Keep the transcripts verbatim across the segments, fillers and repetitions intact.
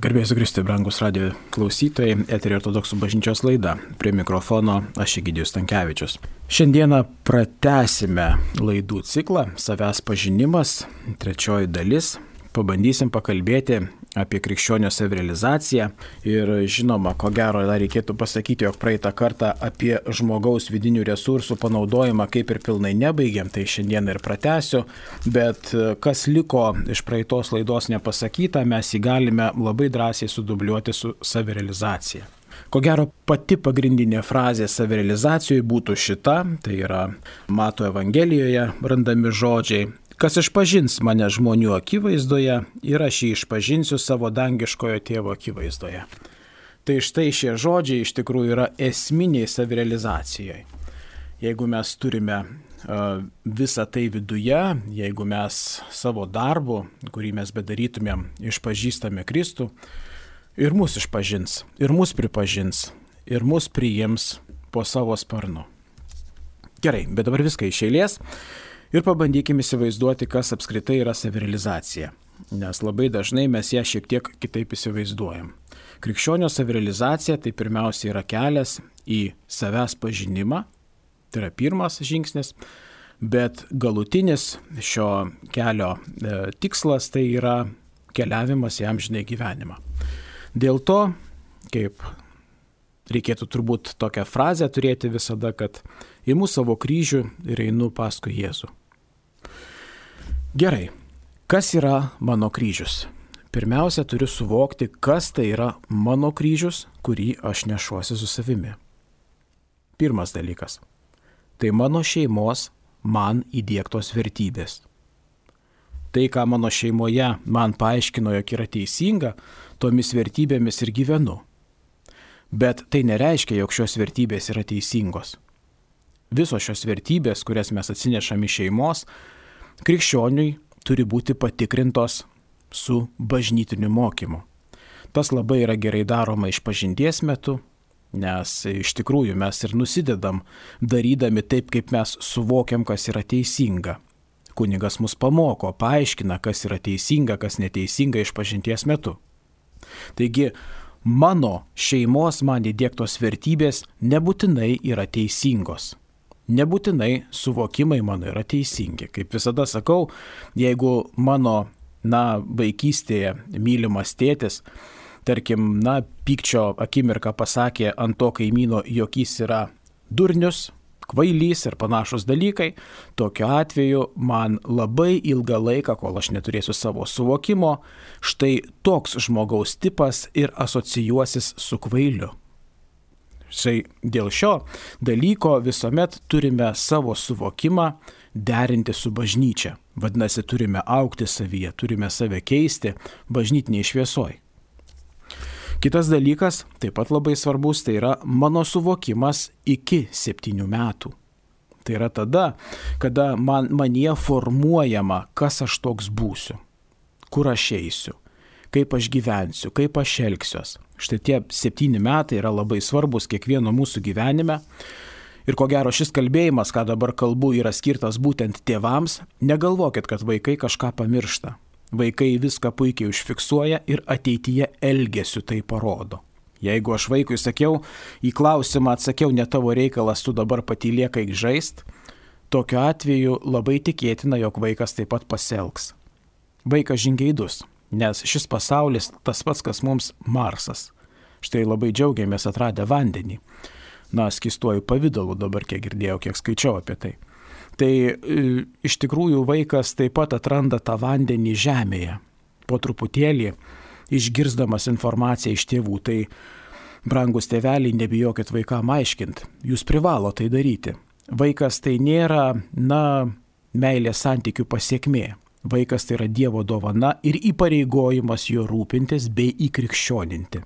Garbėsiu Kristui, brangus radijo klausytojai, eterio ortodoksų bažnyčios laida. Prie mikrofono aš Egidijus Stankevičius. Šiandieną pratęsime laidų ciklą Savęs pažinimas, trečioji dalis. Pabandysim pakalbėti apie krikščionio savirealizaciją ir žinoma, ko gero dar reikėtų pasakyti, jog praeitą kartą apie žmogaus vidinių resursų panaudojimą kaip ir pilnai nebaigėm, tai šiandien ir pratęsiu, bet kas liko iš praeitos laidos nepasakyta, mes jį galime labai drąsiai sudubliuoti su savirealizacija. Ko gero pati pagrindinė frazė savirealizacijoje būtų šita, tai yra Mato Evangelijoje randami žodžiai. Kas išpažins mane žmonių akivaizdoje ir aš jį išpažinsiu savo dangiškojo tėvo akivaizdoje. Tai štai šie žodžiai iš tikrųjų yra esminiai savirealizacijai. Jeigu mes turime uh, visą tai viduje, jeigu mes savo darbu, kurį mes bedarytumėm, išpažįstame Kristų, ir mus išpažins, ir mus pripažins, ir mus priims po savo sparnu. Gerai, bet dabar viską iš eilės. Ir pabandykime įsivaizduoti, kas apskritai yra savirealizacija, nes labai dažnai mes ją šiek tiek kitaip įsivaizduojam. Krikščionio savirealizacija tai pirmiausia yra kelias į savęs pažinimą, tai yra pirmas žingsnis, bet galutinis šio kelio e, tikslas tai yra keliavimas į amžinąjį gyvenimą. Dėl to, kaip reikėtų turbūt tokią frazę turėti visada, kad imu savo kryžių ir einu paskui Jėzų. Gerai, kas yra mano kryžius? Pirmiausia, turiu suvokti, kas tai yra mano kryžius, kurį aš nešuosi su savimi. Pirmas dalykas. Tai mano šeimos man įdiegtos vertybės. Tai, ką mano šeimoje man paaiškino, jog yra teisinga, tomis vertybėmis ir gyvenu. Bet tai nereiškia, jog šios vertybės yra teisingos. Visos šios vertybės, kurias mes atsinešame iš šeimos, krikščioniui turi būti patikrintos su bažnytiniu mokymu. Tas labai yra gerai daroma išpažinties metu, nes iš tikrųjų mes ir nusidedam, darydami taip, kaip mes suvokiam, kas yra teisinga. Kunigas mus pamoko, paaiškina, kas yra teisinga, kas neteisinga išpažinties metu. Taigi, mano šeimos man įdiegtos vertybės nebūtinai yra teisingos. Nebūtinai suvokimai mano yra teisingi. Kaip visada sakau, jeigu mano, na, vaikystėje mylimas tėtis, tarkim, na, pykčio akimirką pasakė ant to kaimyno, jog jis yra durnius, kvailys ir panašus dalykai, tokiu atveju man labai ilgą laiką, kol aš neturėsiu savo suvokimo, štai toks žmogaus tipas ir asocijuosis su kvailiu. Štai dėl šio dalyko visuomet turime savo suvokimą derinti su bažnyčia. Vadinasi, turime augti savyje, turime save keisti bažnytiniai šviesoj. Kitas dalykas, taip pat labai svarbus, tai yra mano suvokimas iki septynių metų. Tai yra tada, kada man, manie formuojama, kas aš toks būsiu, kur aš eisiu, kaip aš gyvensiu, kaip aš elgsiuos. Štai tie septyni metai yra labai svarbus kiekvieno mūsų gyvenime. Ir ko gero šis kalbėjimas, ką dabar kalbu, yra skirtas būtent tėvams. Negalvokit, kad vaikai kažką pamiršta. Vaikai viską puikiai užfiksuoja ir ateityje elgesiu tai parodo. Jeigu aš vaikui sakiau, į klausimą atsakiau, ne tavo reikalas, tu dabar patylėk eik žaist, tokiu atveju labai tikėtina, jog vaikas taip pat pasielgs. Vaikas žingeidus, nes šis pasaulis tas pats, kas mums Marsas. Štai labai džiaugiamės atradę vandenį. Na, skystuoju pavidalu dabar, kiek girdėjau, kiek skaičiau apie tai. Tai iš tikrųjų vaikas taip pat atranda tą vandenį žemėje. Po truputėlį išgirsdamas informaciją iš tėvų. Tai, brangus tėveliai, nebijokit vaikam aiškint. Jūs privalo tai daryti. Vaikas tai nėra, na, meilės santykių pasiekmė. Vaikas tai yra Dievo dovana ir įpareigojimas jo rūpintis bei įkrikščioninti.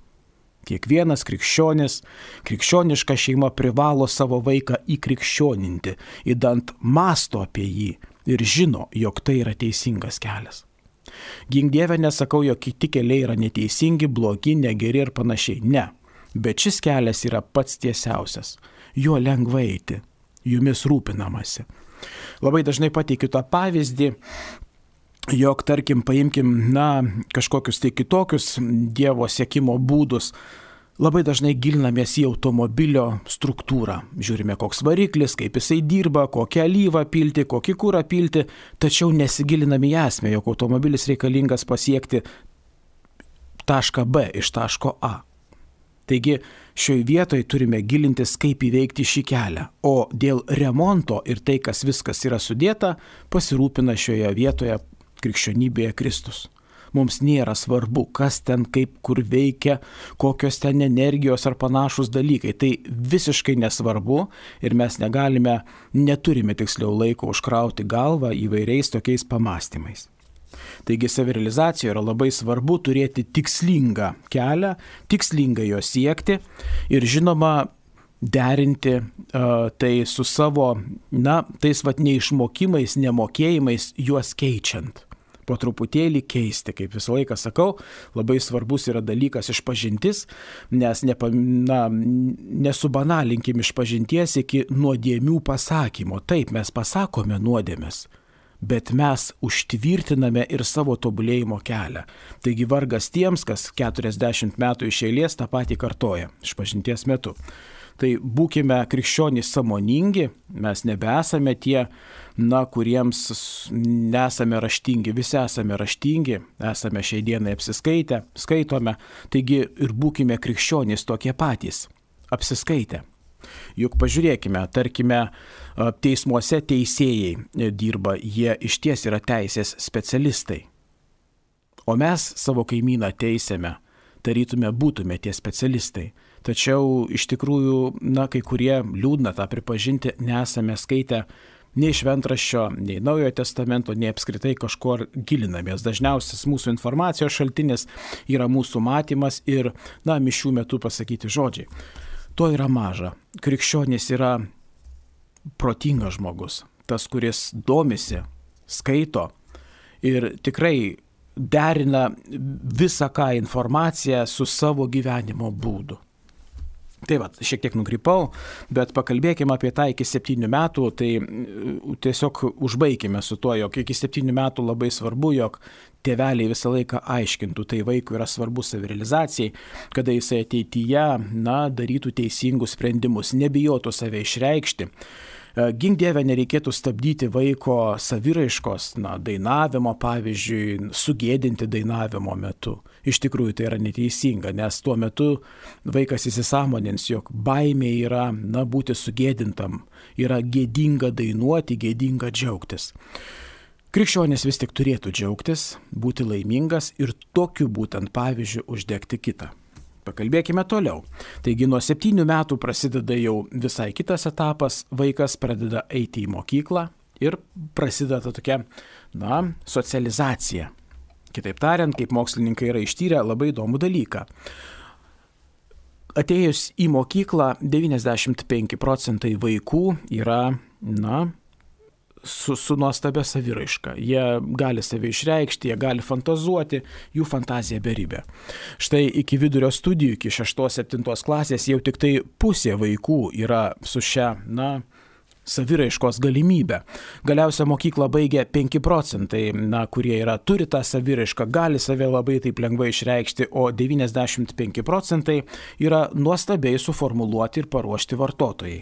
Kiekvienas krikščionis, krikščioniška šeima privalo savo vaiką įkrikščioninti, įdant masto apie jį ir žino, jog tai yra teisingas kelias. Gink Dieve, nesakau, jog kiti keliai yra neteisingi, blogi, negeri ir panašiai. Ne, bet šis kelias yra pats tiesiausias. Juo lengva eiti, jumis rūpinamasi. Labai dažnai pateikiu tą pavyzdį, jog, tarkim, paimkim, na, kažkokius tai kitokius Dievo siekimo būdus, labai dažnai gilinamės į automobilio struktūrą. Žiūrime, koks variklis, kaip jisai dirba, kokią alyvą pilti, kokį kurą pilti, tačiau nesigiliname į esmę, jog automobilis reikalingas pasiekti tašką B iš taško A. Taigi šioje vietoje turime gilintis, kaip įveikti šį kelią, o dėl remonto ir tai, kas viskas yra sudėta, pasirūpina šioje vietoje krikščionybėje Kristus. Mums nėra svarbu, kas ten kaip kur veikia, kokios ten energijos ar panašus dalykai. Tai visiškai nesvarbu ir mes negalime, neturime tiksliau laiko užkrauti galvą įvairiais tokiais pamastymais. Taigi savirealizacijoje yra labai svarbu turėti tikslingą kelią, tikslingai jo siekti ir žinoma derinti uh, tai su savo, na, tais vat neišmokimais, nemokėjimais, juos keičiant. Po truputėlį keisti, kaip visą laiką sakau, labai svarbus yra dalykas išpažintis, nes nepa, na, nesubanalinkim išpažinties iki nuodėmių pasakymo. Taip, mes pasakome nuodėmes, bet mes užtvirtiname ir savo tobulėjimo kelią. Taigi vargas tiems, kas keturiasdešimt metų iš eilės tą patį kartoja išpažinties metu. Tai būkime krikščionys sąmoningi, mes nebesame tie, na, kuriems nesame raštingi, visi esame raštingi, esame šiai dienai apsiskaitę, skaitome, taigi ir būkime krikščionys tokie patys, apsiskaitę. Juk pažiūrėkime, tarkime, teismuose teisėjai dirba, jie išties yra teisės specialistai, o mes savo kaimyną teisėme, tarytume būtume tie specialistai. Tačiau iš tikrųjų, na, kai kurie liūdna tą pripažinti, nesame skaitę nei šventraščio, nei Naujojo testamento, nei apskritai kažkur gilinamės. Dažniausias mūsų informacijos šaltinis yra mūsų matymas ir, na, mišių metu pasakyti žodžiai. To yra maža. Krikščionis yra protingas žmogus, tas, kuris domisi, skaito ir tikrai derina visą ką informaciją su savo gyvenimo būdu. Tai va, šiek tiek nukrypau, bet pakalbėkime apie tą iki septynių metų, tai tiesiog užbaikime su tuo, jog iki septynių metų labai svarbu, jog tėveliai visą laiką aiškintų, tai vaikui yra svarbu savirealizacijai, kada jisai ateityje, na, darytų teisingus sprendimus, nebijotų save išreikšti. Gink Dieve, nereikėtų stabdyti vaiko saviraiškos, na, dainavimo, pavyzdžiui, sugėdinti dainavimo metu. Iš tikrųjų tai yra neteisinga, nes tuo metu vaikas įsisąmonins, jog baimė yra, na, būti sugėdintam, yra gėdinga dainuoti, gėdinga džiaugtis. Krikščionis vis tik turėtų džiaugtis, būti laimingas ir tokiu būtent pavyzdžiu uždegti kitą. Pakalbėkime toliau. Taigi nuo septynių metų prasideda jau visai kitas etapas, vaikas pradeda eiti į mokyklą ir prasideda tokia, na, socializacija. Kitaip tariant, kaip mokslininkai yra ištyrę labai įdomų dalyką. Atėjus į mokyklą, devyniasdešimt penki procentai vaikų yra, na, su, su nuostabia saviraiška. Jie gali save išreikšti, jie gali fantazuoti, jų fantazija beribė. Štai iki vidurio studijų, iki šeštos septintos klasės jau tik tai pusė vaikų yra su šia, na, saviraiškos galimybę. Galiausia mokyklą baigia penki procentai, na, kurie yra, turi tą saviraišką, gali save labai taip lengvai išreikšti, o devyniasdešimt penki procentai yra nuostabiai suformuluoti ir paruošti vartotojai.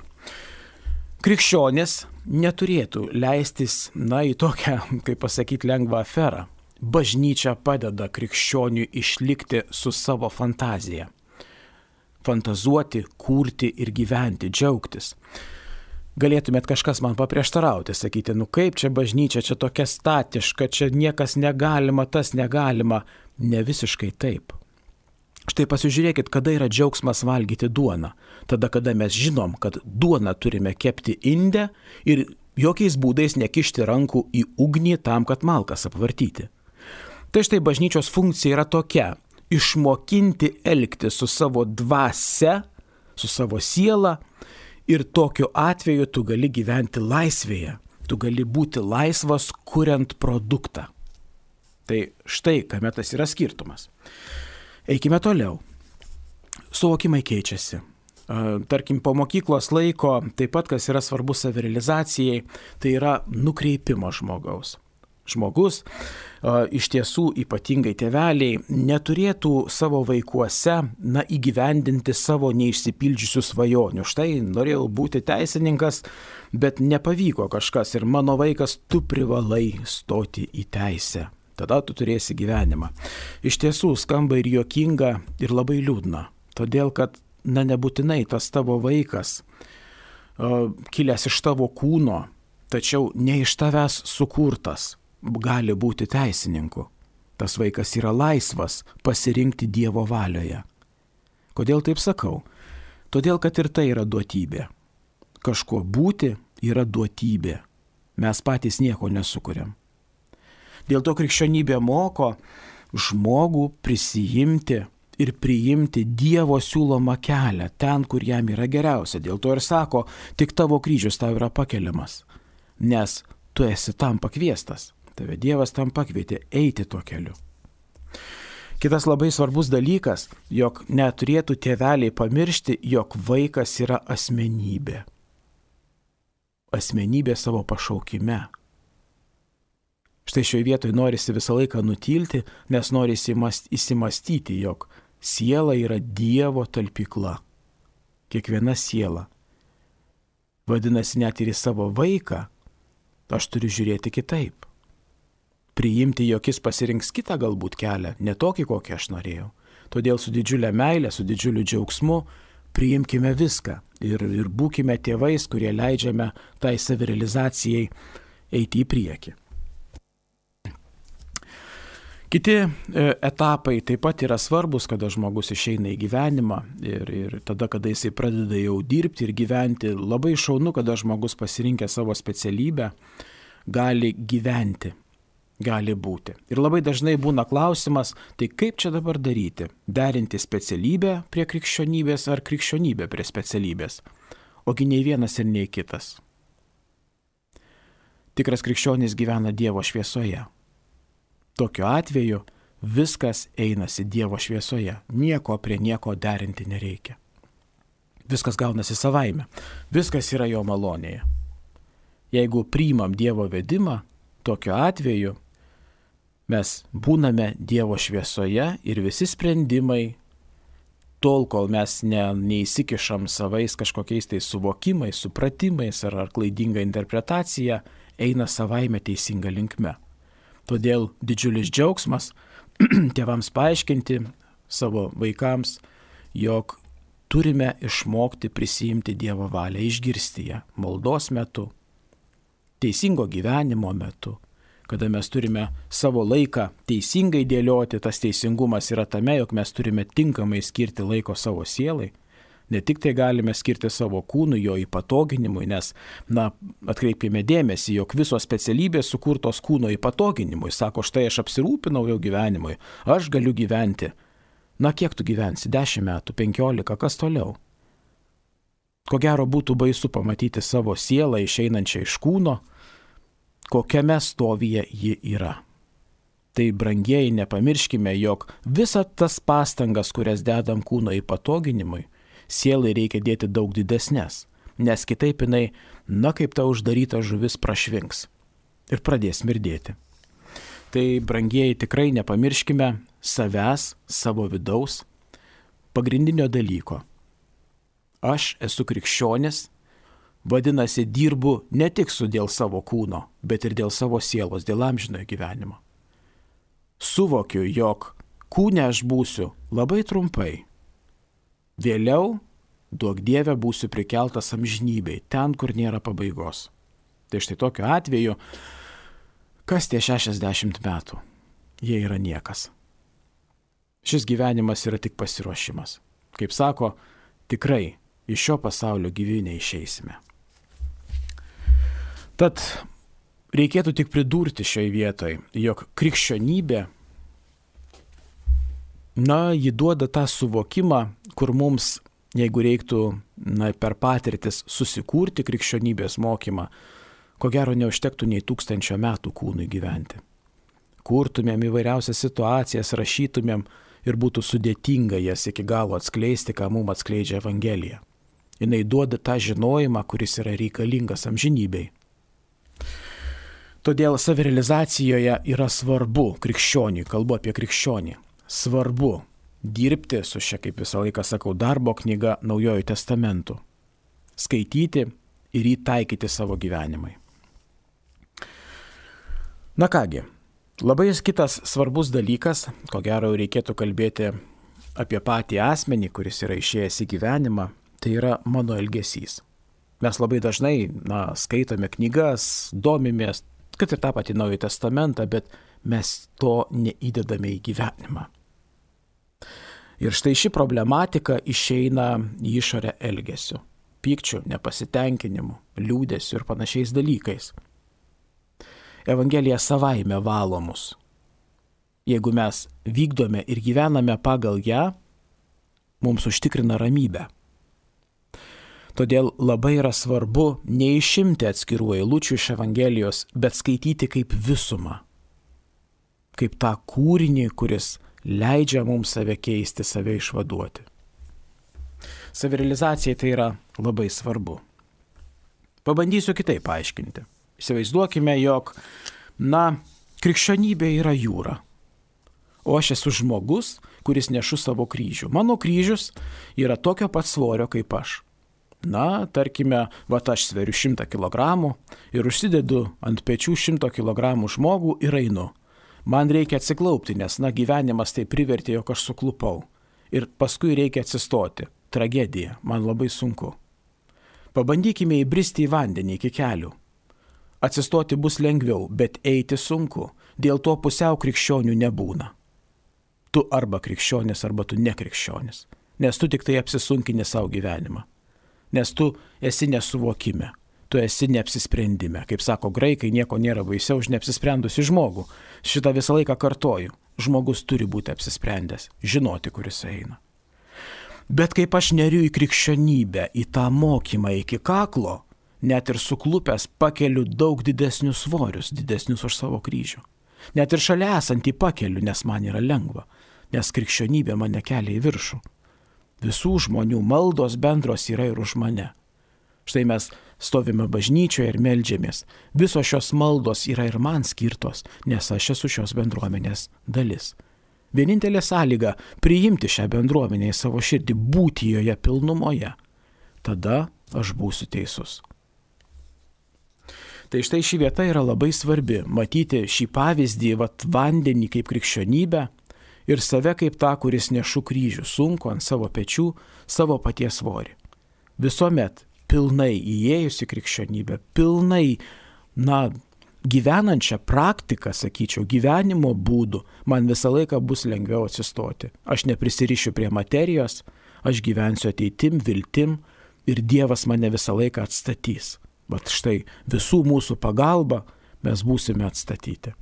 Krikščionis neturėtų leistis, na, į tokią, kaip pasakyti, lengvą aferą. Bažnyčia padeda krikščioniui išlikti su savo fantazija. Fantazuoti, kurti ir gyventi, džiaugtis. Galėtumėt kažkas man paprieštarauti, sakyti, nu kaip čia bažnyčia, čia tokia statiška, čia niekas negalima, tas negalima. Ne visiškai taip. Štai pasižiūrėkit, kada yra džiaugsmas valgyti duoną. Tada, kada mes žinom, kad duoną turime kepti inde ir jokiais būdais nekišti rankų į ugnį tam, kad malkas apvartyti. Tai štai bažnyčios funkcija yra tokia – išmokinti elgti su savo dvasia, su savo siela ir tokiu atveju tu gali gyventi laisvėje. Tu gali būti laisvas, kuriant produktą. Tai štai, kame tas yra skirtumas. Eikime toliau. Suvokimai keičiasi. Tarkim, po mokyklos laiko, taip pat, kas yra svarbu savirealizacijai, tai yra nukreipimo žmogaus. žmogus, iš tiesų ypatingai tėveliai, neturėtų savo vaikuose, na, įgyvendinti savo neišsipildžiusių svajonių. Štai norėjau būti teisininkas, bet nepavyko kažkas ir mano vaikas, tu privalai stoti į teisę. Tada tu turėsi gyvenimą. Iš tiesų skamba ir juokinga, ir labai liūdna. Todėl, kad, na, nebūtinai tas tavo vaikas, kilęs iš tavo kūno, tačiau ne iš tavęs sukurtas, gali būti teisininku. Tas vaikas yra laisvas pasirinkti Dievo valioje. Kodėl taip sakau? Todėl, kad ir tai yra duotybė. Kažkuo būti yra duotybė. Mes patys nieko nesukuriam. Dėl to krikščionybė moko žmogų prisijimti ir priimti Dievo siūlomą kelią ten, kur jam yra geriausia. Dėl to ir sako, tik tavo kryžius tau yra pakeliamas, nes tu esi tam pakviestas. Tave Dievas tam pakvietė eiti tuo keliu. Kitas labai svarbus dalykas, jog neturėtų tėveliai pamiršti, jog vaikas yra asmenybė. Asmenybė savo pašaukime. Štai šioje vietoje norisi visą laiką nutilti, nes norisi įsimastyti, jog siela yra Dievo talpykla. Kiekviena siela. Vadinasi, net ir į savo vaiką aš turiu žiūrėti kitaip. Priimti, jog jis pasirinks kitą galbūt kelią, ne tokį, kokį aš norėjau. Todėl su didžiulė meilė, su didžiuliu džiaugsmu priimkime viską ir, ir būkime tėvais, kurie leidžiame tai savirealizacijai eiti į priekį. Kiti etapai taip pat yra svarbus, kada žmogus išeina į gyvenimą ir, ir tada, kada jisai pradeda jau dirbti ir gyventi. Labai šaunu, kada žmogus pasirinkęs savo specialybę gali gyventi, gali būti. Ir labai dažnai būna klausimas, tai kaip čia dabar daryti? Derinti specialybę prie krikščionybės ar krikščionybę prie specialybės? Ogi nei vienas ir nei kitas. Tikras krikščionis gyvena Dievo šviesoje. Tokiu atveju viskas einasi Dievo šviesoje, nieko prie nieko derinti nereikia. Viskas gaunasi savaime, viskas yra jo malonėje. Jeigu priimam Dievo vedimą, tokiu atveju mes būname Dievo šviesoje ir visi sprendimai, tol kol mes ne, neįsikišam savais kažkokiais tai suvokimais, supratimais ar, ar klaidinga interpretacija, eina savaime teisinga linkme. Todėl didžiulis džiaugsmas tėvams paaiškinti savo vaikams, jog turime išmokti prisijimti Dievo valią, išgirsti ją maldos metu, teisingo gyvenimo metu, kada mes turime savo laiką teisingai dėlioti. Tas teisingumas yra tame, jog mes turime tinkamai skirti laiko savo sielai. Ne tik tai galime skirti savo kūnui, jo įpatoginimui, nes, na, atkreipkime dėmesį, jog visos specialybės sukurtos kūno įpatoginimui. Sako, štai aš apsirūpinau jau gyvenimui, aš galiu gyventi. Na, kiek tu gyvensi? Dešimt metų, penkiolika, kas toliau? Ko gero būtų baisu pamatyti savo sielą išeinančią iš kūno, kokiame stovyje ji yra. Tai, brangieji, nepamirškime, jog visas tas pastangas, kurias dedam kūno įpatoginimui, sielai reikia dėti daug didesnės, nes kitaip jinai, na, kaip ta uždaryta žuvis prašvinks ir pradės mirdėti. Tai, brangieji, tikrai nepamirškime savęs, savo vidaus, pagrindinio dalyko. Aš esu krikščionis, vadinasi, dirbu ne tik su dėl savo kūno, bet ir dėl savo sielos, dėl amžinojo gyvenimo. Suvokiu, jog kūne aš būsiu labai trumpai. Vėliau, duok Dieve, būsiu prikeltas amžinybei, ten, kur nėra pabaigos. Tai štai tokiu atveju, kas tie šešiasdešimt metų? Jie yra niekas. Šis gyvenimas yra tik pasiruošimas. Kaip sako, tikrai iš šio pasaulio gyvi neišeisime. Tad reikėtų tik pridurti šioje vietoje, jog krikščionybė, na, ji duoda tą suvokimą, kur mums, jeigu reiktų, na, per patirtis susikurti krikščionybės mokymą, ko gero neužtektų nei tūkstančio metų kūnui gyventi. Kurtumėm įvairiausias situacijas, rašytumėm ir būtų sudėtinga jas iki galo atskleisti, ką mums atskleidžia Evangelija. Jinai duoda tą žinojimą, kuris yra reikalingas amžinybei. Todėl savirealizacijoje yra svarbu krikščioniui, kalbu apie krikščionį, svarbu dirbti su šia, kaip visą laiką sakau, darbo knyga Naujojų testamentų, skaityti ir jį taikyti savo gyvenimai. Na kągi, labai kitas svarbus dalykas, ko gero reikėtų kalbėti apie patį asmenį, kuris yra išėjęs į gyvenimą, tai yra mano elgesys. Mes labai dažnai, na, skaitome knygas, domimės, kad ir tą patį Naująjį testamentą, bet mes to neįdedame į gyvenimą. Ir štai ši problematika išeina į išorę elgesiu, pykčiu, nepasitenkinimu, liūdesiu ir panašiais dalykais. Evangelija savaime valo mus. Jeigu mes vykdome ir gyvename pagal ją, mums užtikrina ramybę. Todėl labai yra svarbu neišimti atskirų eilučių iš Evangelijos, bet skaityti kaip visumą, kaip tą kūrinį, kuris leidžia mums save keisti, save išvaduoti. Savirealizacijai tai yra labai svarbu. Pabandysiu kitaip paaiškinti. Įsivaizduokime, jog, na, krikščionybė yra jūra, o aš esu žmogus, kuris nešu savo kryžių. Mano kryžius yra tokio pat svorio kaip aš. Na, tarkime, va aš sveriu šimtą kilogramų ir užsidedu ant pečių šimto kilogramų žmogų ir einu. Man reikia atsiklaupti, nes, na, gyvenimas tai privertė, jog aš suklupau. Ir paskui reikia atsistoti. Tragedija, man labai sunku. Pabandykime įbristi į vandenį iki kelių. Atsistoti bus lengviau, bet eiti sunku. Dėl to pusiau krikščionių nebūna. Tu arba krikščionis, arba tu nekrikščionis. Nes tu tik tai apsisunkini savo gyvenimą. Nes tu esi nesuvokime, tu esi neapsisprendime. Kaip sako graikai, nieko nėra baisiau už neapsisprendusi žmogų. Šitą visą laiką kartoju. Žmogus turi būti apsisprendęs, žinoti, kuris eina. Bet kaip aš neriu į krikščionybę, į tą mokymą iki kaklo, net ir suklupęs pakeliu daug didesnius svorius, didesnius už savo kryžių. Net ir šalia esantį pakeliu, nes man yra lengva, nes krikščionybė mane kelia į viršų. Visų žmonių maldos bendros yra ir už mane. Štai mes stovime bažnyčioje ir meldžiamės. Visos šios maldos yra ir man skirtos, nes aš esu šios bendruomenės dalis. Vienintelė sąlyga - priimti šią bendruomenę į savo širdį, būti joje pilnumoje. Tada aš būsiu teisus. Tai štai ši vieta yra labai svarbi. Matyti šį pavyzdį, vat vandenį kaip krikščionybę, ir save kaip tą, kuris nešu kryžių, sunku ant savo pečių, savo paties svorį. Visuomet pilnai įėjus į krikščionybę, pilnai, na, gyvenančią praktiką, sakyčiau, gyvenimo būdų, man visą laiką bus lengviau atsistoti. Aš neprisirišiu prie materijos, aš gyvensiu ateitim, viltim ir Dievas mane visą laiką atstatys. Bet štai visų mūsų pagalba mes būsime atstatyti.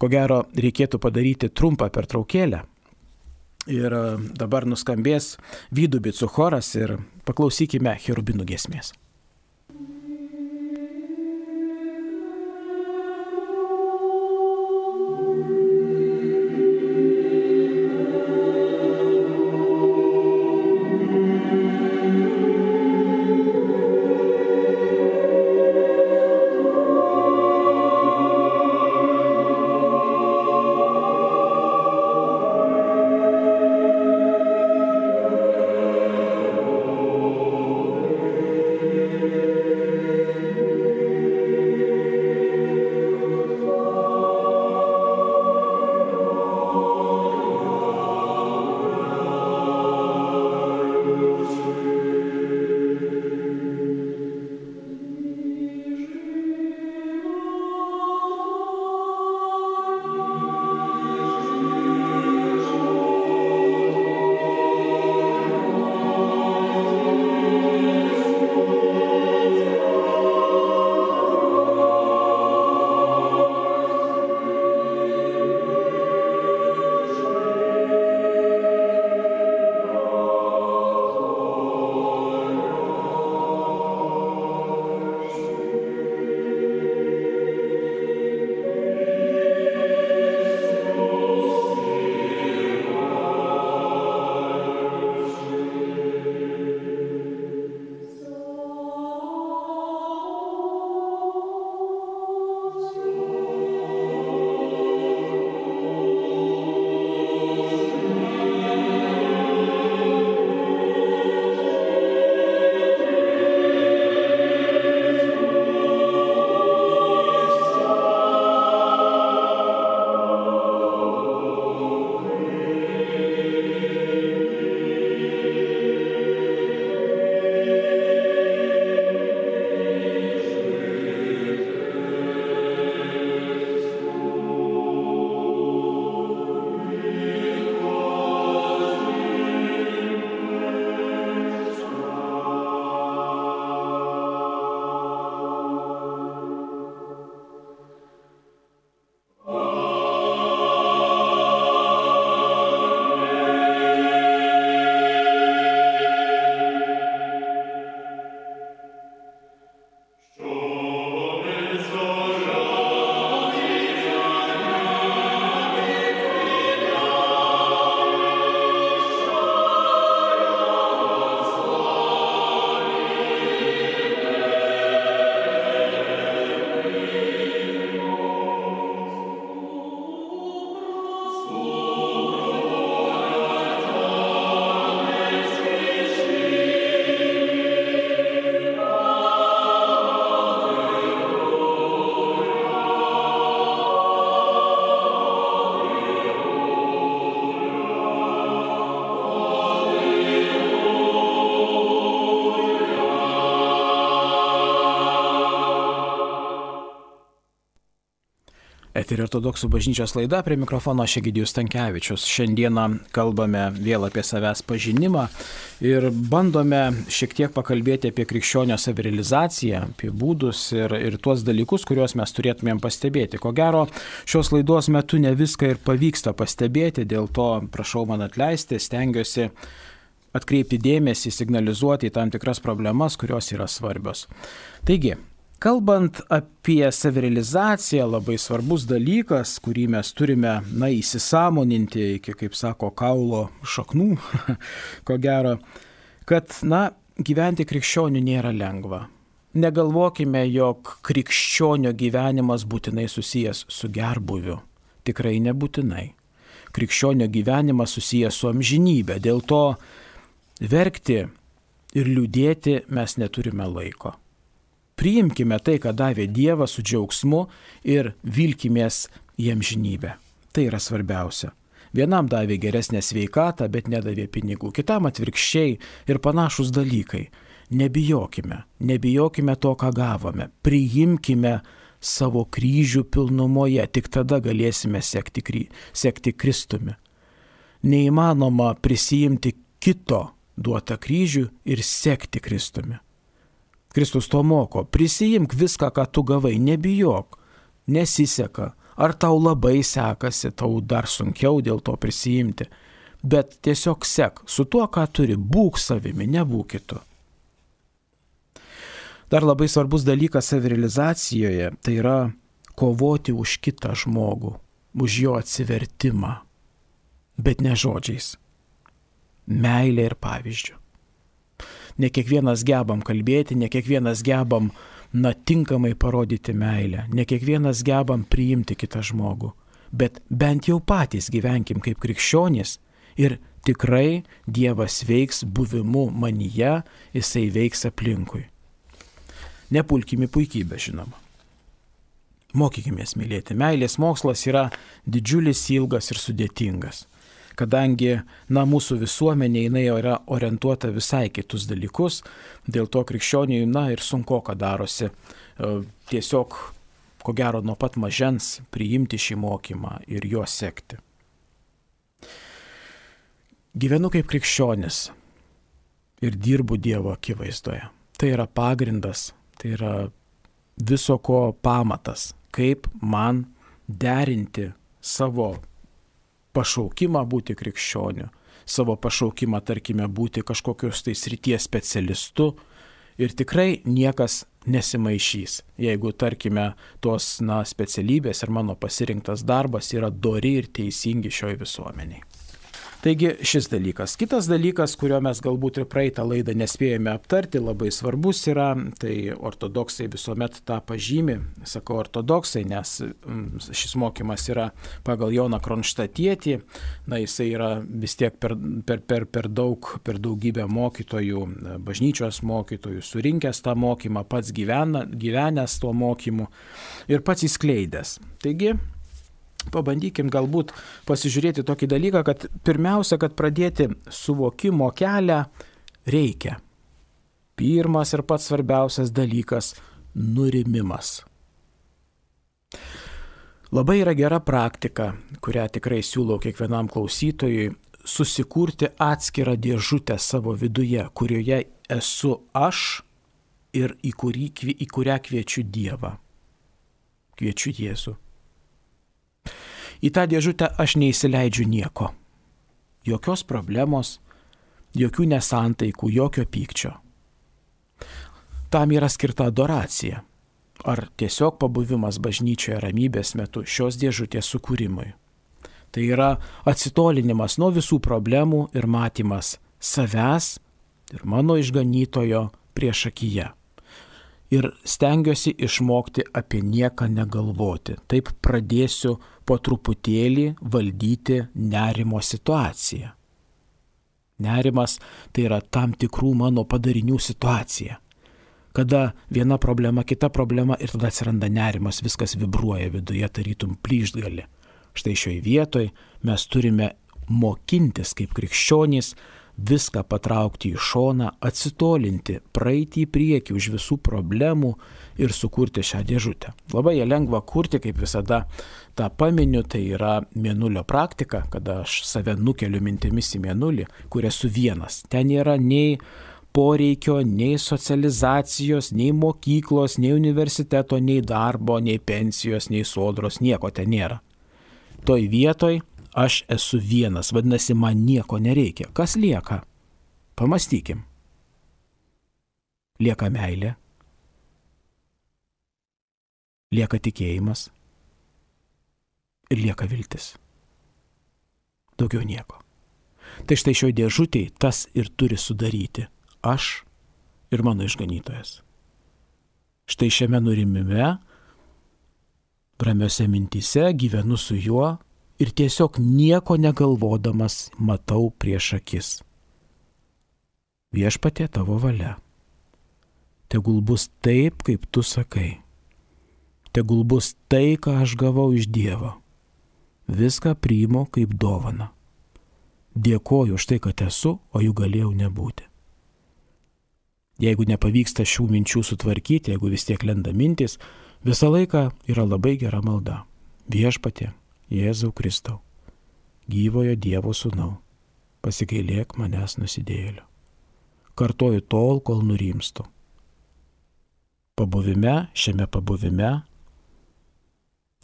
Ko gero, reikėtų padaryti trumpą pertraukėlę. Ir dabar nuskambės Vidubicų choras ir paklausykime cherubinų giesmės. Eterio ortodoksų bažnyčios laida, prie mikrofono aš Egidijus Stankevičius. Šiandieną kalbame vėl apie savęs pažinimą ir bandome šiek tiek pakalbėti apie krikščionio savirealizaciją, apie būdus ir, ir tuos dalykus, kuriuos mes turėtumėm pastebėti. Ko gero, šios laidos metu ne viską ir pavyksta pastebėti, dėl to prašau man atleisti, stengiuosi atkreipti dėmesį, signalizuoti į tam tikras problemas, kurios yra svarbios. Taigi, kalbant apie savirealizaciją, labai svarbus dalykas, kurį mes turime, na, įsisąmoninti iki, kaip sako, kaulo šaknų, ko gero, kad, na, gyventi krikščionių nėra lengva. Negalvokime, jog krikščionio gyvenimas būtinai susijęs su gerbuviu. Tikrai nebūtinai. Krikščionio gyvenimas susijęs su amžinybė. Dėl to verkti ir liūdėti mes neturime laiko. Priimkime tai, ką davė Dievas su džiaugsmu ir vilkimės į amžinybę. Tai yra svarbiausia. Vienam davė geresnę sveikatą, bet nedavė pinigų. Kitam atvirkščiai ir panašus dalykai. Nebijokime. Nebijokime to, ką gavome. Priimkime savo kryžių pilnumoje. Tik tada galėsime sekti, kry... sekti Kristumi. Neįmanoma prisijimti kito duotą kryžių ir sekti Kristumi. Kristus to moko, prisijimk viską, ką tu gavai, nebijok, nesiseka, ar tau labai sekasi, tau dar sunkiau dėl to prisijimti, bet tiesiog sek, su tuo, ką turi, būk savimi, nebūk kitu. Dar labai svarbus dalykas savirealizacijoje, tai yra kovoti už kitą žmogų, už jo atsivertimą, bet ne žodžiais, meilė ir pavyzdžiu. Ne kiekvienas gebam kalbėti, ne kiekvienas gebam, na, tinkamai parodyti meilę, ne kiekvienas gebam priimti kitą žmogų, bet bent jau patys gyvenkim kaip krikščionys ir tikrai Dievas veiks buvimu manyje, jisai veiks aplinkui. Nepulkime puikybę, žinoma. Mokykimės mylėti. Meilės mokslas yra didžiulis, ilgas ir sudėtingas. Kadangi, na, mūsų visuomenė, jinai yra orientuota visai kitus dalykus, dėl to krikščioniui, na, ir sunku, ką darosi tiesiog, ko gero, nuo pat mažens priimti šį mokymą ir juo sekti. Gyvenu kaip krikščionis ir dirbu Dievo akivaizdoje. Tai yra pagrindas, tai yra viso ko pamatas, kaip man derinti savo pašaukimą būti krikščioniu, savo pašaukimą, tarkime, būti kažkokios tai srities specialistu ir tikrai niekas nesimaišys, jeigu, tarkime, tos, na, specialybės ir mano pasirinktas darbas yra dori ir teisingi šioj visuomeniai. Taigi šis dalykas. Kitas dalykas, kurio mes galbūt ir praeitą laidą nespėjome aptarti, labai svarbus yra, tai ortodoksai visuomet tą pažymi, sakau ortodoksai, nes šis mokymas yra pagal Joną Kronštatietį, na, jisai yra vis tiek per, per, per, per daug, per daugybę mokytojų, bažnyčios mokytojų, surinkęs tą mokymą, pats gyvena, gyvenęs tuo mokymu ir pats įskleidęs. Taigi, pabandykim galbūt pasižiūrėti tokį dalyką, kad pirmiausia, kad pradėti suvokimo kelią reikia. Pirmas ir pats svarbiausias dalykas – nurimimas. Labai yra gera praktika, kurią tikrai siūlau kiekvienam klausytojui, susikurti atskirą dėžutę savo viduje, kurioje esu aš ir į, kurį, į kurią kviečiu Dievą. Kviečiu Jėzų. Į tą dėžutę aš neįsileidžiu nieko. Jokios problemos, jokių nesantaikų, jokio pykčio. Tam yra skirta adoracija. Ar tiesiog pabuvimas bažnyčioje ramybės metu šios dėžutės sukūrimui. Tai yra atsitolinimas nuo visų problemų ir matymas savęs ir mano išganytojo priešakyje. Ir stengiuosi išmokti apie nieką negalvoti. Taip pradėsiu po truputėlį valdyti nerimo situaciją. Nerimas tai yra tam tikrų mano padarinių situacija. Kada viena problema, kita problema ir tada atsiranda nerimas, viskas vibruoja viduje, tarytum plyšgali. Štai šioj vietoj mes turime mokintis kaip krikščionys viską patraukti į šoną, atsitolinti, praeiti į priekį už visų problemų ir sukurti šią dėžutę. Labai ją lengva kurti, kaip visada tą paminiu, tai yra mėnulio praktika, kada aš save nukeliu mintimis į mėnulį, kur esu vienas. Ten nėra nei poreikio, nei socializacijos, nei mokyklos, nei universiteto, nei darbo, nei pensijos, nei sodros, nieko ten nėra. Toj vietoj aš esu vienas, vadinasi, man nieko nereikia. Kas lieka? Pamąstykim. Lieka meilė, lieka tikėjimas ir lieka viltis. Daugiau nieko. Tai štai šioj dėžutėj tas ir turi sudaryti aš ir mano išganytojas. Štai šiame nurimime, ramiose mintyse gyvenu su juo ir tiesiog nieko negalvodamas matau prieš akis. Viešpatie, tavo valia. Tegul bus taip, kaip tu sakai. Tegul bus tai, ką aš gavau iš Dievo. Viską priimu kaip dovaną. Dėkoju už tai, kad esu, o jų galėjau nebūti. Jeigu nepavyksta šių minčių sutvarkyti, jeigu vis tiek lenda mintis, visą laiką yra labai gera malda. Viešpatie, Jėzau Kristau, gyvojo Dievo sūnau, pasigailėk manęs nusidėjėlio. Kartoju tol, kol nurimstu. Pabuvime, šiame pabuvime,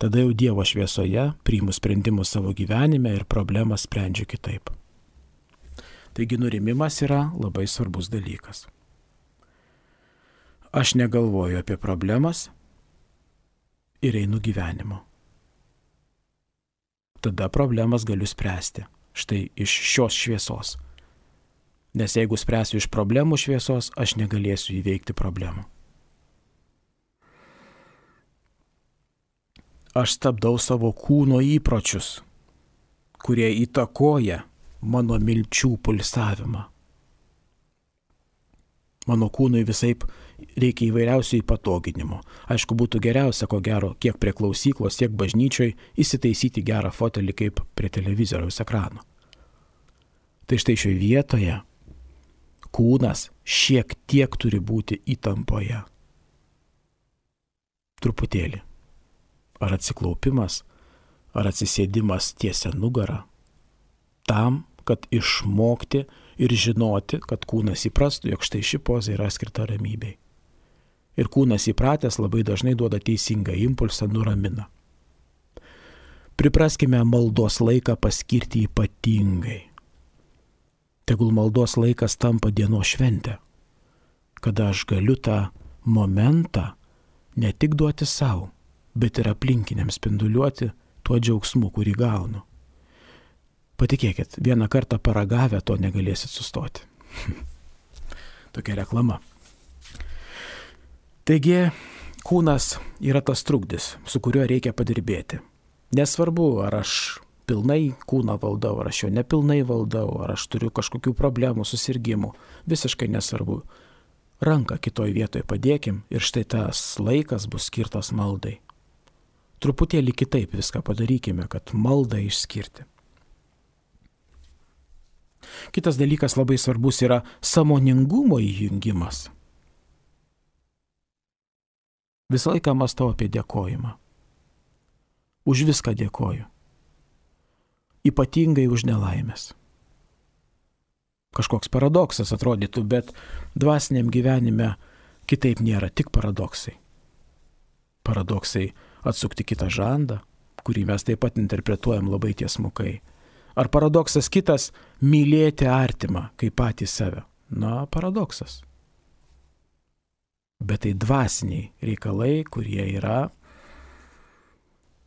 tada jau Dievo šviesoje priimu sprendimus savo gyvenime ir problemą sprendžiu kitaip. Taigi nurimimas yra labai svarbus dalykas. Aš negalvoju apie problemas ir einu gyvenimo. Tada problemas galiu spręsti štai iš šios šviesos. Nes jeigu spręsiu iš problemų šviesos, aš negalėsiu įveikti problemų. Aš stabdau savo kūno įpročius, kurie įtakoja mano milčių pulsavimą. Mano kūnui visaip reikia įvairiausių įpatoginimų. Aišku, būtų geriausia, ko gero, kiek prie klausyklos, tiek bažnyčioj įsitaisyti gerą fotelį kaip prie televizoriaus ekrano. Tai štai šioje vietoje kūnas šiek tiek turi būti įtampoje. Truputėlį. Ar atsiklaupimas, ar atsisėdimas tiesia nugarą. Tam, kad išmokti ir žinoti, kad kūnas įprastų, jog štai ši poza yra skirta ramybei. Ir kūnas įpratęs labai dažnai duoda teisingą impulsą, nuramina. Pripraskime maldos laiką paskirti ypatingai. Tegul maldos laikas tampa dienos šventė, kada aš galiu tą momentą ne tik duoti savo, bet ir aplinkiniams spinduliuoti tuo džiaugsmu, kurį gaunu. Patikėkit, vieną kartą paragavę to negalėsit sustoti. Tokia reklama. Taigi, kūnas yra tas trukdis, su kuriuo reikia padirbėti. Nesvarbu, ar aš pilnai kūną valdau, ar aš jo nepilnai valdau, ar aš turiu kažkokių problemų, susirgimų. Visiškai nesvarbu. Ranką kitoj vietoje padėkim ir štai tas laikas bus skirtas maldai. Truputėlį kitaip viską padarykime, kad maldą išskirti. Kitas dalykas labai svarbus yra sąmoningumo įjungimas. Visą laiką mąstau apie dėkojimą. Už viską dėkoju. Ypatingai už nelaimės. Kažkoks paradoksas atrodytų, bet dvasiniam gyvenime kitaip nėra, tik paradoksai. Paradoksai atsukti kitą žandą, kurį mes taip pat interpretuojam labai tiesmukai. Ar paradoksas kitas – mylėti artimą kaip patį save? Na, paradoksas. Bet tai dvasiniai reikalai, kurie yra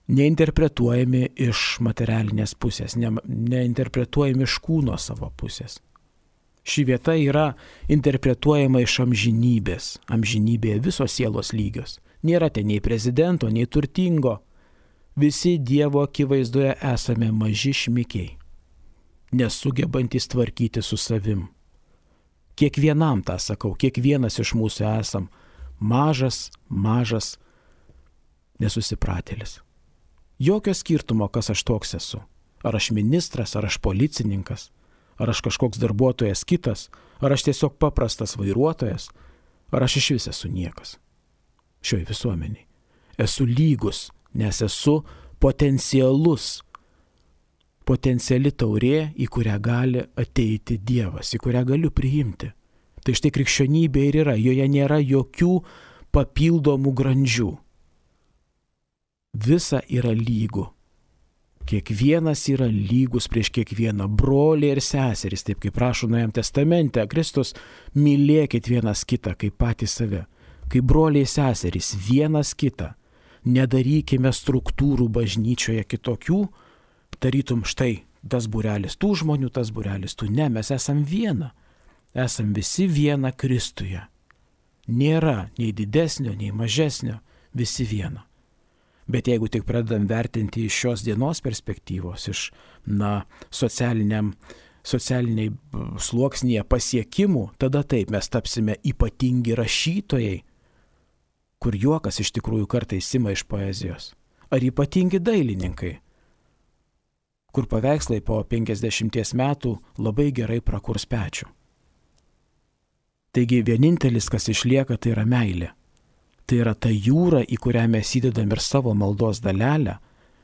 neinterpretuojami iš materialinės pusės, ne, neinterpretuojami iš kūno savo pusės. Ši vieta yra interpretuojama iš amžinybės. Amžinybėje visos sielos lygios. Nėra ten nei prezidento, nei turtingo. Visi Dievo akivaizdoje esame maži šmikiai, nesugebantys tvarkyti su savim. Kiekvienam tą sakau, kiekvienas iš mūsų esam mažas, mažas nesusipratėlis. Jokio skirtumo, kas aš toks esu. Ar aš ministras, ar aš policininkas, ar aš kažkoks darbuotojas kitas, ar aš tiesiog paprastas vairuotojas, ar aš iš vis esu niekas. Šioj visuomeniai. Esu lygus, nes esu potencialus, potenciali taurė, į kurią gali ateiti Dievas, į kurią galiu priimti. Tai štai krikščionybė ir yra, joje nėra jokių papildomų grandžių. Visa yra lygu. Kiekvienas yra lygus prieš kiekvieną, broliai ir seserys, taip kaip rašo Naujajame testamente. Kristus, mylėkit vienas kitą kaip patys save, kaip broliai seserys vienas kitą. Nedarykime struktūrų bažnyčioje kitokių, tarytum štai tas būrelis tų žmonių, tas būrelis tų. Ne, mes esam viena. Esam visi viena Kristuje. Nėra nei didesnio, nei mažesnio, visi viena. Bet jeigu tik pradedam vertinti iš šios dienos perspektyvos, iš, na, socialiniam, socialiniai sluoksnyje pasiekimų, tada taip mes tapsime ypatingi rašytojai, kur juokas iš tikrųjų kartais ima iš poezijos. Ar ypatingi dailininkai, kur paveikslai po penkiasdešimties metų labai gerai prakurs pečių. Taigi vienintelis, kas išlieka, tai yra meilė. Tai yra ta jūra, į kurią mes įdedam ir savo maldos dalelę,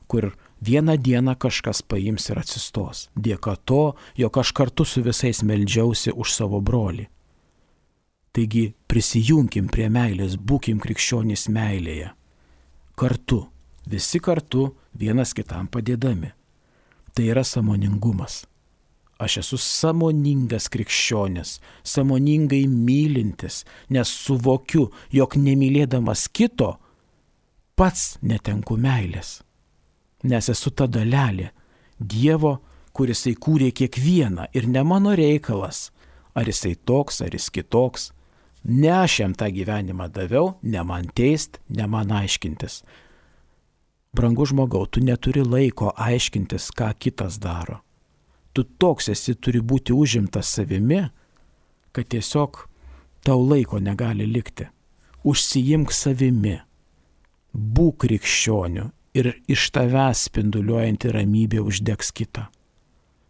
kur vieną dieną kažkas paims ir atsistos. Dėka to, jog aš kartu su visais meldžiausi už savo brolį. Taigi prisijunkim prie meilės, būkim krikščionys meilėje. Kartu, visi kartu, vienas kitam padėdami. Tai yra sąmoningumas. Aš esu sąmoningas krikščionis, sąmoningai mylintis, nes suvokiu, jog nemylėdamas kito, pats netenku meilės. Nes esu ta dalelė Dievo, kuris įkūrė kiekvieną ir ne mano reikalas, ar jisai toks, ar jis kitoks. Ne aš jam tą gyvenimą daviau, ne man teist, ne man aiškintis. Brangus žmogau, tu neturi laiko aiškintis, ką kitas daro. Tu toks esi, turi būti užimtas savimi, kad tiesiog tau laiko negali likti. Užsiimk savimi, būk krikščioniu ir iš tavęs spinduliuojanti ramybė uždegs kitą.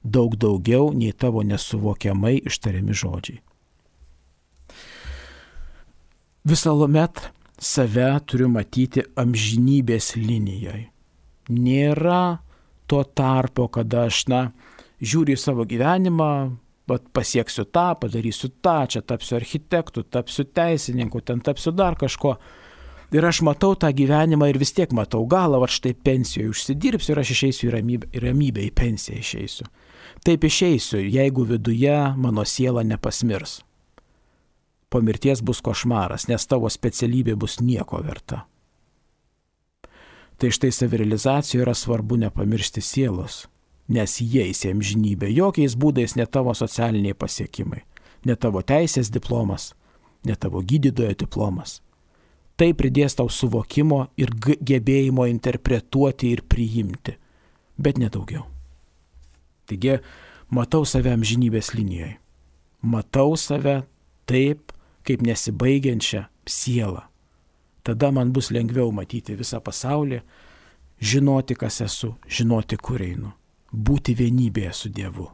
Daug daugiau nei tavo nesuvokiamai ištariami žodžiai. Visuomet save turiu matyti amžinybės linijoje. Nėra to tarpo, kada aš, na, žiūriu į savo gyvenimą, bet pasieksiu tą, padarysiu tą, čia tapsiu architektu, tapsiu teisininku, ten tapsiu dar kažko. Ir aš matau tą gyvenimą ir vis tiek matau galą, va štai pensijoje užsidirbsiu ir aš išeisiu į ramybę, į ramybę, į pensiją išeisiu. Taip išeisiu, jeigu viduje mano siela nepasmirs. Po mirties bus košmaras, nes tavo specialybė bus nieko verta. Tai štai savirealizacijoje yra svarbu nepamiršti sielos. Nes jie įsi amžinybė, jokiais būdais ne tavo socialiniai pasiekimai, ne tavo teisės diplomas, ne tavo gydytojo diplomas. Tai pridės tau suvokimo ir gebėjimo interpretuoti ir priimti, bet nedaugiau. Taigi, matau save amžinybės linijoje. Matau save taip, kaip nesibaigiančią sielą. Tada man bus lengviau matyti visą pasaulį, žinoti, kas esu, žinoti, kur einu. Būti vienybėje su Dievu.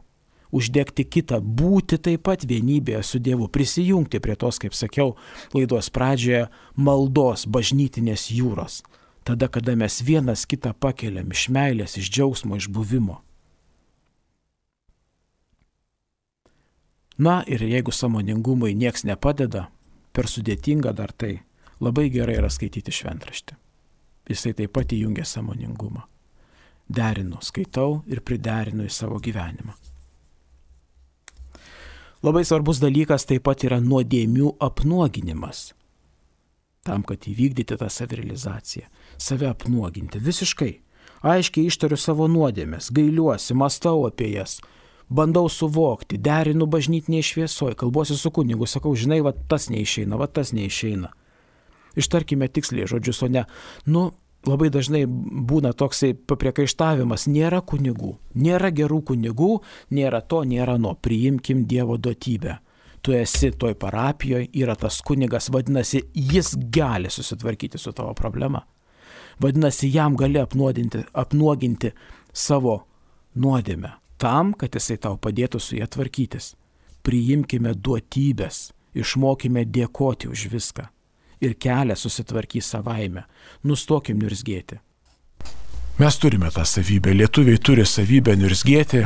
Uždegti kitą, būti taip pat vienybėje su Dievu. Prisijungti prie tos, kaip sakiau, laidos pradžioje, maldos, bažnytinės jūros. Tada, kada mes vienas kitą pakeliam iš meilės, iš džiaugsmo, iš buvimo. Na ir jeigu sąmoningumui nieks nepadeda, per sudėtinga dar tai, labai gerai yra skaityti šventraštį. Jisai taip pat įjungia sąmoningumą. Derinu, skaitau ir priderinu į savo gyvenimą. Labai svarbus dalykas taip pat yra nuodėmių apnuoginimas. Tam, kad įvykdyti tą savirealizaciją, save apnuoginti visiškai. Aiškiai ištariu savo nuodėmes, gailiuosi, mąstau apie jas, bandau suvokti, derinu bažnytinėje šviesoje, kalbuosi su kunigu, sakau, žinai, va tas neišeina, va tas neišeina. Ištarkime tiksliai žodžius, o ne, nu, labai dažnai būna toksai papriekaištavimas, nėra kunigų, nėra gerų kunigų, nėra to, nėra no, priimkim Dievo duotybę. Tu esi toj parapijoje, yra tas kunigas, vadinasi, jis gali susitvarkyti su tavo problema. Vadinasi, jam gali apnuoginti, apnuoginti savo nuodėmę, tam, kad jisai tau padėtų su ją tvarkytis. Priimkime duotybės, išmokime dėkoti už viską. Ir kelią susitvarkys savaime. Nustokim niurzgėti. Mes turime tą savybę. Lietuviai turi savybę niurzgėti.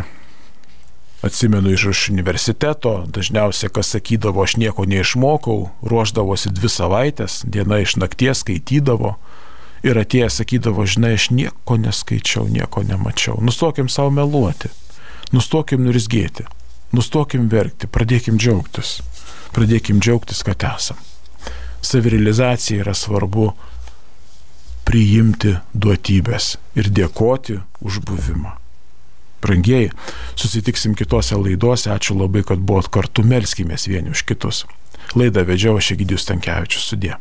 Atsimenu iš universiteto, dažniausiai kas sakydavo, aš nieko neišmokau, ruošdavosi dvi savaitės, diena iš nakties skaitydavo ir atėjęs sakydavo, žinai, aš nieko neskaičiau, nieko nemačiau. Nustokim savo meluoti, nustokim niurzgėti, nustokim verkti, pradėkim džiaugtis, pradėkim džiaugtis, kad esam. Savirealizacija yra svarbu priimti duotybės ir dėkoti už buvimą. Brangieji, susitiksim kitose laidose. Ačiū labai, kad buvot kartu, melskimės vieni už kitus. Laidą vedžiau aš Egidijus Stankevičius. Sudie.